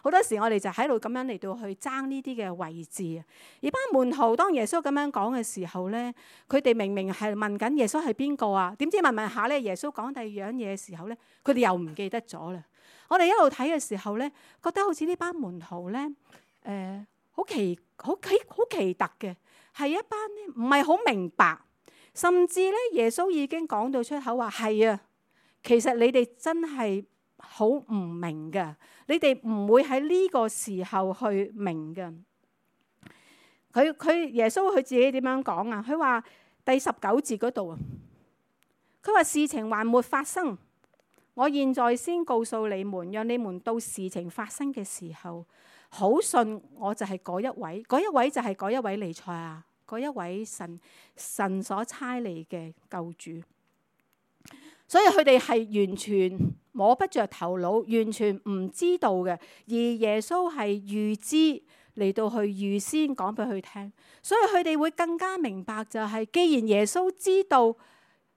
好多時我哋就喺度咁樣嚟到去爭呢啲嘅位置。而班門徒當耶穌咁樣講嘅時候咧，佢哋明明係問緊耶穌係邊個啊？點知問下咧，耶穌講第二樣嘢嘅時候咧，佢哋又唔記得咗啦。我哋一路睇嘅時候咧，覺得好似呢班門徒咧好奇特嘅，係一班咧唔係好明白。甚至咧，耶穌已經講到出口話係啊，其實你哋真係好唔明㗎，你哋唔會喺呢個時候去明㗎。耶穌佢自己點樣講啊？佢話第19節嗰度啊，佢話事情還沒發生，我現在先告訴你們，讓你們到事情發生嘅時候，好信我就係嗰一位，嗰一位就係嗰一位彌賽亞，嗰一位神所差嚟嘅救主。所以佢哋係完全摸不着頭腦，完全唔知道嘅，而耶穌係預知嚟到去預先講俾佢聽，所以佢哋會更加明白就係，既然耶穌知道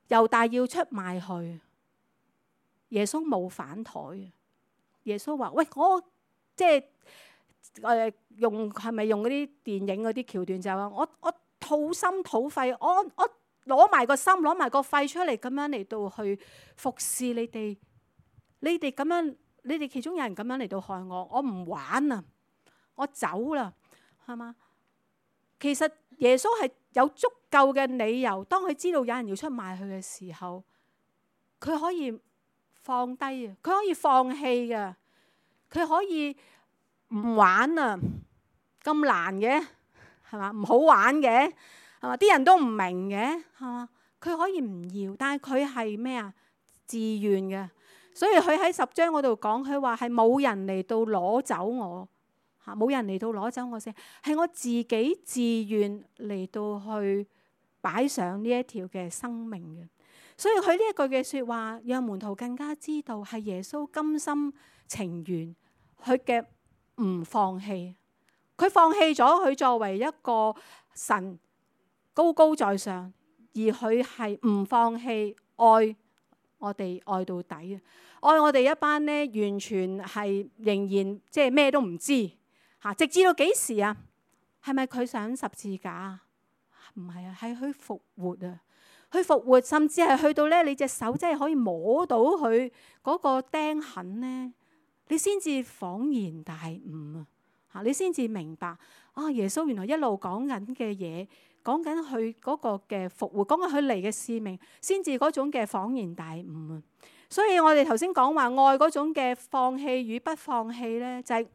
猶大要出賣佢，耶穌冇反台。耶穌話：喂，我即係係咪用嗰啲電影嗰啲橋段就係話，我掏心掏肺，我攞埋個心攞埋個肺出嚟，咁樣嚟到去服侍你哋。你哋咁樣，你哋其中有人咁樣嚟到害我，我唔玩啊，我走啦，係嘛？其實耶穌係有足夠嘅理由，當佢知道有人要出賣佢嘅時候，佢可以放低啊，佢可以放棄噶，佢可以唔玩啊，咁難嘅係嘛？唔好玩嘅係嘛？啲人都唔明嘅係嘛？佢可以唔要，但係佢係咩啊？自願嘅。所以佢喺10章嗰度講，佢話係冇人嚟到攞走我嚇，冇人嚟到攞走我先，係我自己自願嚟到去擺上呢一條嘅生命嘅。所以佢呢一句嘅説話，讓門徒更加知道係耶穌甘心情願，佢嘅唔放棄，佢放棄咗佢作為一個神高高在上，而佢係唔放棄愛我哋愛到底啊！愛我哋一班呢，完全係仍然即係咩都唔知嚇，直至到幾時啊？係咪佢上十字架啊？唔係啊，係佢復活啊！佢復活，甚至係去到咧，你隻手真係可以摸到佢嗰個釘痕咧，你先至恍然大悟啊！嚇，你先至明白啊！耶穌原來一路講緊嘅嘢，講緊佢嗰個嘅復活，講緊佢嚟嘅使命，先至嗰種嘅恍然大悟啊！所以我哋頭先講話愛嗰種嘅放棄與不放棄咧，就係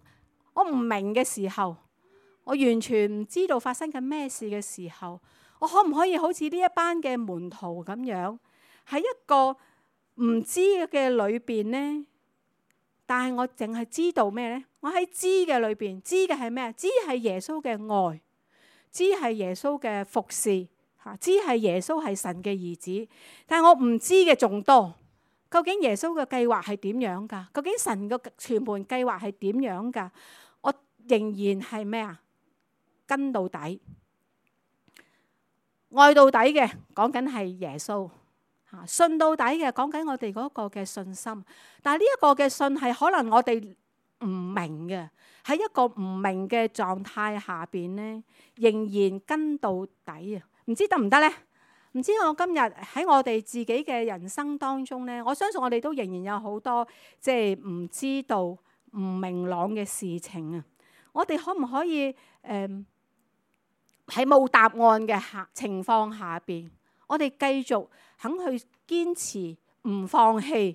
我唔明嘅時候，我完全唔知道發生緊咩事嘅時候，我可唔可以好似呢一班嘅門徒咁樣，喺一個唔知嘅裏邊呢？但係我淨係知道咩呢？我喺知嘅裏邊，知嘅係咩？知係耶穌嘅愛，知係耶穌嘅服侍，知係耶穌係神嘅兒子。但係我唔知嘅仲多。究竟耶穌嘅計劃係點樣㗎？究竟神嘅全盤計劃係點樣㗎？我仍然係咩啊？跟到底，愛到底嘅講緊係耶穌嚇，信到底嘅講緊我哋嗰個嘅信心。但係呢一個嘅信係可能我哋唔明嘅，喺一個唔明嘅狀態下邊咧，仍然跟到底啊！唔知得唔得咧？唔知我今日喺我哋自己嘅人生當中咧，我相信我哋都仍然有好多即係唔知道、唔明朗嘅事情啊！我哋可唔可以喺冇答案嘅情況下邊，我哋繼續肯去堅持唔放棄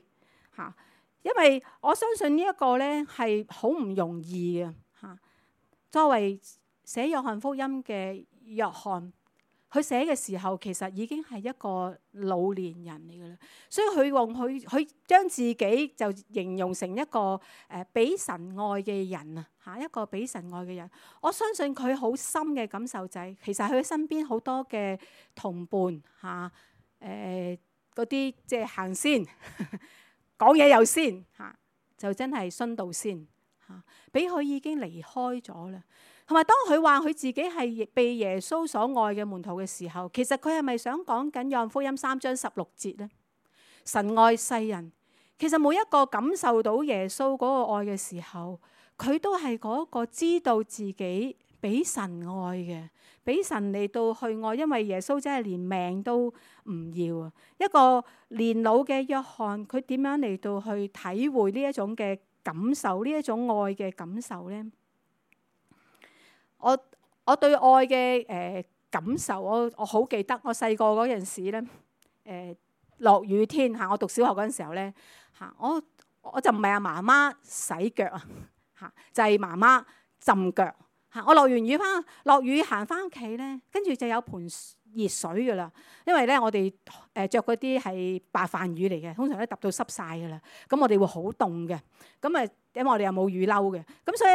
嚇？因為我相信呢一個咧係好唔容易嘅嚇。作為寫約翰福音嘅約翰，佢寫嘅時候其實已經係一個老年人嚟嘅啦，所以佢將自己就形容成一個俾神愛嘅人啊嚇，一個俾神愛嘅人。我相信佢好深嘅感受就係，其實佢身邊好多嘅同伴嚇，嗰啲即係行先講嘢又先嚇，就真係殉道先嚇，俾佢已經離開咗啦。同埋當佢話佢自己係被耶穌所愛嘅門徒嘅時候，其實佢係咪想講緊約翰福音3章16節呢？神愛世人，其實每一個感受到耶穌嗰個愛嘅時候，佢都係嗰個知道自己俾神愛嘅，俾神嚟到去愛，因為耶穌真係連命都唔要啊！一個年老嘅約翰，佢點樣嚟到去體會呢一種嘅感受，呢一種愛嘅感受呢？我對愛嘅感受，我好記得我細個嗰陣時咧，落雨天嚇，我讀小學嗰陣時候咧嚇，我就唔係阿媽媽洗腳啊嚇，就係媽媽浸腳嚇！我落雨行翻屋企咧，跟住就有盆熱水噶啦。因為咧我哋著嗰啲係白飯魚嚟嘅，通常都揼到濕晒噶啦。咁我哋會好凍嘅。咁因為我哋又冇雨褸嘅，咁所以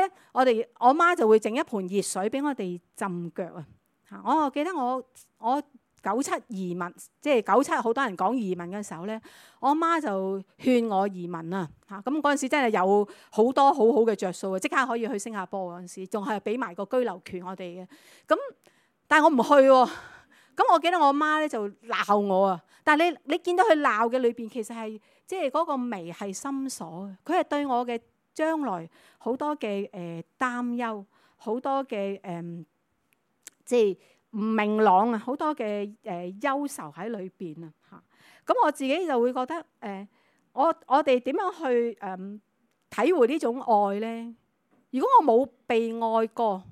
咧我媽就會整一盆熱水俾我哋浸腳啊！嚇！我記得我97移民，即係97好多人講移民嘅時候咧，我媽就勸我移民啊！嚇！咁嗰陣時真係有好多好好嘅着數啊！即刻可以去新加坡嗰陣時，仲係俾埋個居留權我哋嘅。咁但係我唔去喎。咁我記得我媽咧就鬧我啊！但係你見到佢鬧嘅裏邊，其實係即係嗰個眉係深鎖嘅。佢係對我嘅將來好多嘅擔憂，好多嘅即係唔明朗啊，好多嘅憂愁喺裏邊啊嚇。咁我自己就會覺得我哋點樣去體會呢種愛咧？如果我冇被愛過，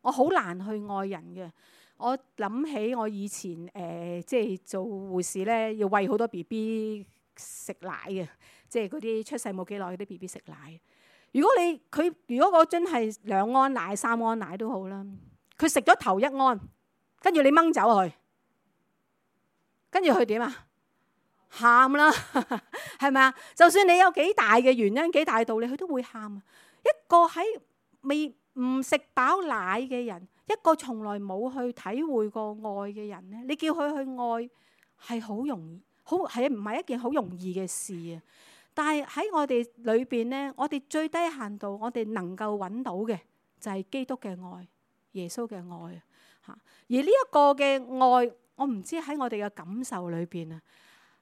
我好難去愛人嘅。我諗起我以前即係做護士咧，要餵好多 BB 食奶嘅，即係嗰啲出世冇幾耐嗰啲 BB 食奶。如果嗰樽係2安奶、3安奶都好啦，佢食咗頭1安，跟住你掹走佢，跟住佢點啊？喊啦，係咪啊？就算你有幾大嘅原因、幾大道理，佢都會喊啊！一個喺唔食飽奶嘅人，一個從來冇去體會過愛嘅人咧，你叫佢去愛係好容易，係唔係一件好容易嘅事啊？但係喺我哋裏邊咧，我哋最低限度，我哋能夠揾到嘅就係基督嘅愛、耶穌嘅愛啊！嚇，而呢一個嘅愛，我唔知喺我哋嘅感受裏邊啊，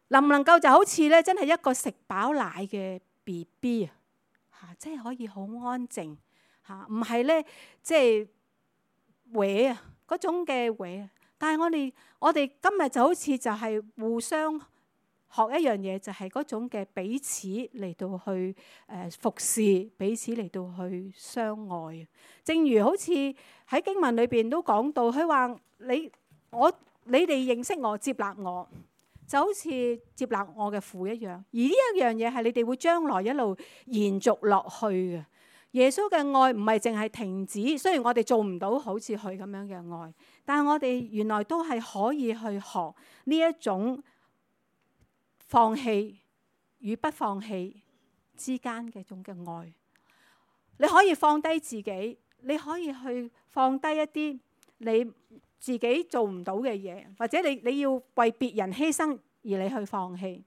能唔能夠就好似咧，真係一個食飽奶嘅 BB 啊！嚇，即係可以好安靜嚇，唔係咧即係搲啊嗰種嘅搲啊！但係我哋今日就好似就係互相學一樣嘢，就係嗰種嘅彼此嚟到去服侍，彼此嚟到去相愛。正如好似喺經文裏邊都講到，佢話你哋認識我、接納我，就好似接納我嘅父一樣。而呢一樣嘢係你哋會將來一路延續落去嘅。耶穌嘅愛唔係淨係停止，雖然我哋做唔到好似佢咁樣嘅愛，但係我哋原來都係可以去學呢一種放棄與不放棄之間嘅種嘅愛。你可以放低自己，你可以去放低一啲你自己做唔到嘅嘢，或者你要為別人犧牲而你去放棄，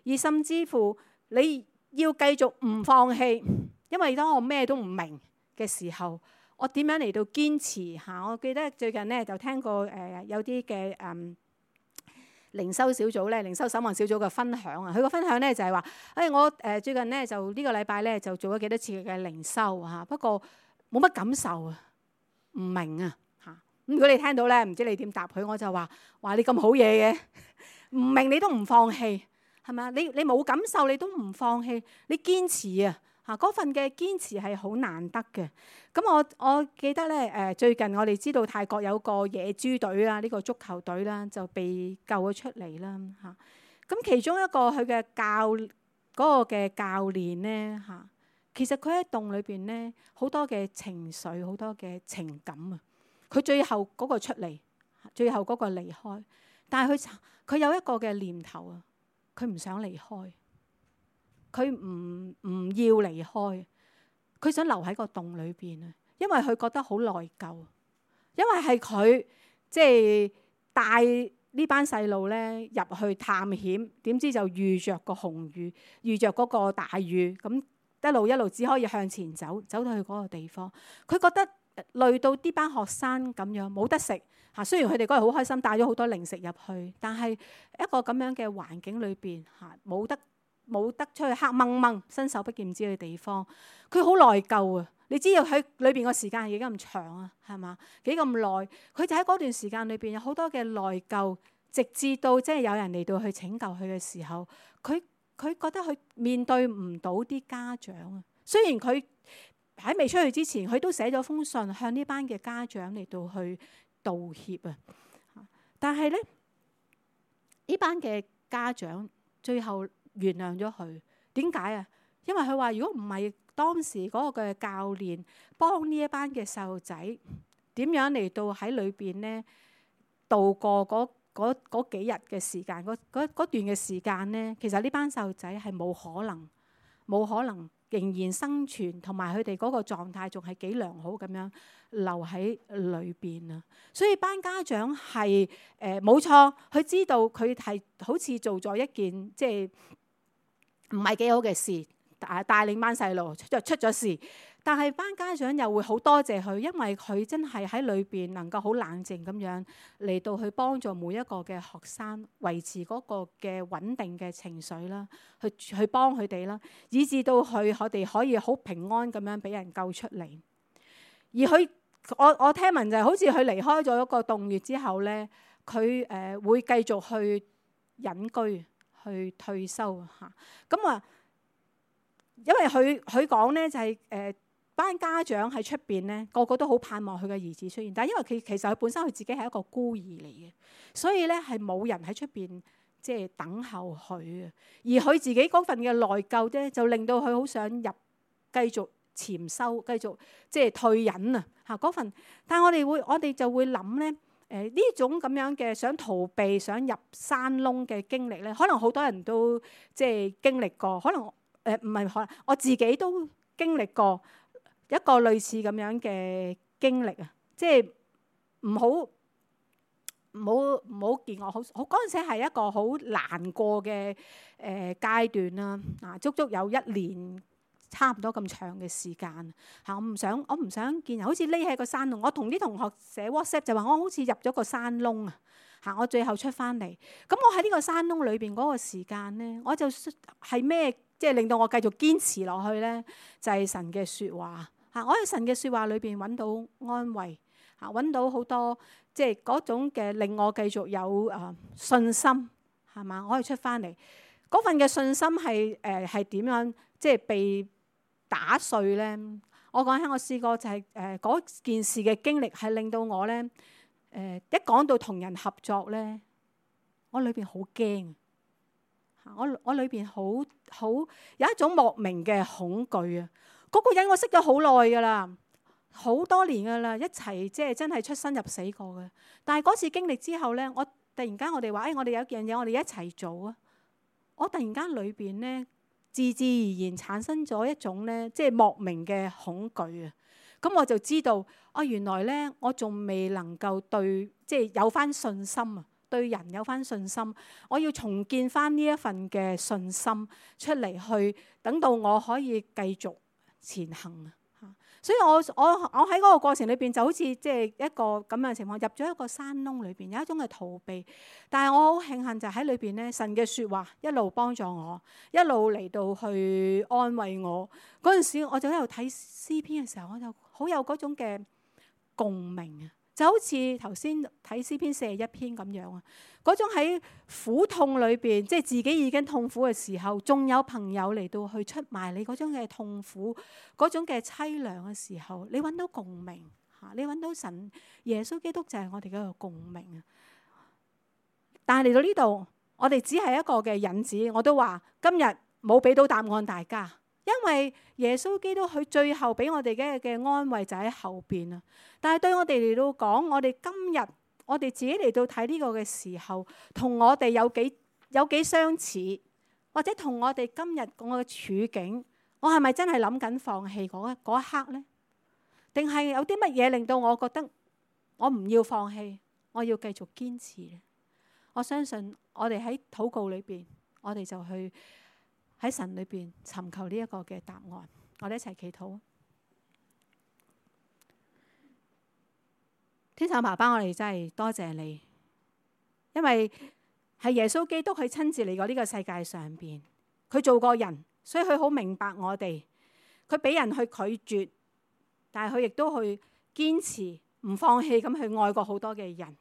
而甚至乎你要繼續唔放棄。因為當我咩都唔明嘅時候，我點樣嚟到堅持嚇？我記得最近咧就聽過有啲嘅靈修小組咧，靈修守望小組嘅分享啊。佢個分享咧就係話：我最近咧就呢個禮拜咧就做咗幾多次嘅靈修嚇，不過冇乜感受啊，唔明啊嚇。咁如果你聽到咧，唔知你點答佢？我就話你咁好嘢嘅，唔明你都唔放棄係咪啊？你冇感受你都唔放棄，你堅持啊！嗰份嘅堅持係好難得嘅。咁我記得咧最近我哋知道泰國有個野豬隊啦，呢個足球隊啦就被救咗出嚟啦嚇。咁其中一個佢嘅嗰個嘅教練咧嚇，其實佢喺洞裏邊咧好多嘅情緒，好多嘅情感啊。佢最後嗰個出嚟，最後嗰個離開，但係佢有一個嘅念頭啊，佢唔想離開。佢唔要離開，佢想留喺個洞裏邊啊！因為佢覺得好內疚，因為係佢即係帶呢班細路咧入去探險，點知就遇着個紅雨，遇着嗰個大雨，咁一路只可以向前走到去嗰個地方。佢覺得累到呢班學生咁樣冇得食嚇，雖然佢哋嗰日好開心，帶咗好多零食入去，但係一個咁樣嘅環境裏邊嚇，冇得出去黑掹掹、伸手不見五指嘅地方，佢好內疚啊！你知道喺裏邊個時間係幾咁長啊？係嘛？幾咁耐？佢就喺嗰段時間裏邊有好多嘅內疚，直至到即係有人嚟到去拯救佢嘅時候，佢覺得佢面對唔到啲家長啊。雖然佢喺未出去之前，佢都寫咗封信向呢班嘅家長嚟到去道歉啊。但係咧，呢班嘅家長最後原諒咗佢，點解啊？因為佢話如果唔係當時嗰個嘅教練幫呢一班嘅細路仔點樣嚟到喺裏邊咧度過嗰幾日嘅時間，嗰段嘅時間咧，其實呢班細路仔係冇可能仍然生存，同埋佢哋嗰個狀態仲係幾良好咁樣留喺裏邊啊！所以班家長係冇錯，佢知道佢係好似做咗一件即係唔係幾好嘅事，帶領班細路出咗事。但係班家長又會好多謝佢，因為佢真係喺裏邊能夠好冷靜咁樣嚟到去幫助每一個嘅學生維持嗰個嘅穩定嘅情緒啦，去幫佢哋啦，以至到我哋可以好平安咁樣俾人救出嚟。而我聽聞就係好似佢離開咗一個洞穴之後咧，佢會繼續去隱居去退休嚇。咁啊，因為佢講咧就係班家長喺出邊咧，個個都好盼望佢嘅兒子出現，但係因為其實佢本身佢自己係一個孤兒嚟嘅，所以咧係冇人喺出邊即係等候佢嘅。而佢自己嗰份嘅內疚咧，就令到佢好想繼續潛修，繼續即係退隱啊嚇嗰份。但係我哋就會諗咧，呢種咁樣嘅想逃避、想入山窿嘅經歷咧，可能好多人都即係經歷過，可能唔係可能我自己都經歷過。一個類似咁樣嘅經歷啊，即係唔好見我好嗰陣時係一個好難過嘅階段啦。足足有1年差唔多咁長嘅時間嚇，我唔想見人，好似匿喺個山窿。我同啲同學寫 WhatsApp 就話我好似入咗個山窿啊嚇，我最後出翻嚟。咁我喺呢個山窿裏邊嗰個時間咧，我就係咩即係令到我繼續堅持落去咧，就係神嘅説話。我喺神嘅説話裏邊揾到安慰，揾到好多即係嗰種嘅令我繼續有信心，係嘛？我可以出翻嚟嗰份嘅信心係點樣即係被打碎咧？我講起我試過就係嗰件事嘅經歷係令到我咧一講到同人合作咧，我裏邊好驚，我裏邊好有一種莫名嘅恐懼啊！嗰個人我識咗好耐㗎啦，好多年㗎啦，一齊即係真係出生入死過嘅。但係嗰次經歷之後咧，我突然間我哋話，我哋有一樣嘢，我哋一齊做啊！我突然間裏邊咧，自然產生咗一種咧，即係莫名嘅恐懼啊！咁我就知道，原來咧我仲未能夠即係有翻信心啊，對人有翻信心，我要重建翻呢一份嘅信心出嚟，去等到我可以繼續前行啊！所以我喺嗰個過程裏邊就好似即係一個咁樣嘅情況，入咗一個山窿裏邊，有一種嘅逃避。但係我好慶幸就喺裏邊咧，神嘅説話一路幫助我，一路嚟到去安慰我。嗰陣時我就喺度睇詩篇嘅時候，我就好有嗰種嘅共鳴啊！就好似頭先睇詩篇41篇咁樣啊，嗰種喺苦痛裏邊，即係自己已經痛苦嘅時候，仲有朋友嚟到去出賣你嗰種嘅痛苦、嗰種嘅凄涼嘅時候，你揾到共鳴嚇，你揾到神耶穌基督就係我哋嗰個共鳴啊！但係嚟到呢度，我哋只係一個嘅引子，我都話今日冇俾到答案大家。因為耶穌基督佢最後俾我哋嘅安慰就喺後邊啊！但係對我哋嚟到講，我哋今日我哋自己嚟到睇呢個嘅時候，同我哋有幾相似，或者同我哋今日我嘅處境，我係咪真係諗緊放棄嗰一刻呢？定係有啲乜嘢令到我覺得我唔要放棄，我要繼續堅持呢？我相信我哋喺禱告裏邊，我哋就去喺神裏邊尋求呢一個嘅答案，我哋一齊祈禱。天父爸爸，我哋真係多謝你，因為係耶穌基督佢親自嚟過呢個世界上邊，佢做過人，所以佢好明白我哋。佢俾人去拒絕，但係佢亦都去堅持唔放棄咁去愛過好多嘅人。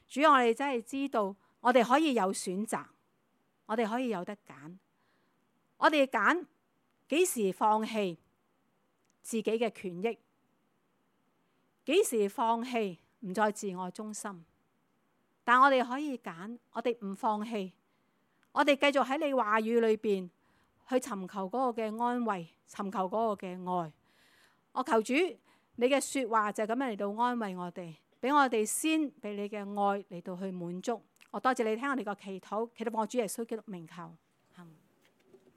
主，我哋真係知道，我哋可以有選擇，我哋可以有得揀。我哋揀幾時放棄自己嘅權益，幾時放棄唔再自我中心。但我哋可以揀，我哋唔放棄，我哋繼續喺你話語裏邊去尋求嗰個嘅安慰，尋求嗰個嘅愛。我求主，你嘅説話就係咁樣嚟到安慰我哋，俾我哋先俾你嘅愛嚟到去滿足。我多謝你聽我哋個祈禱，祈禱奉主耶穌基督名求。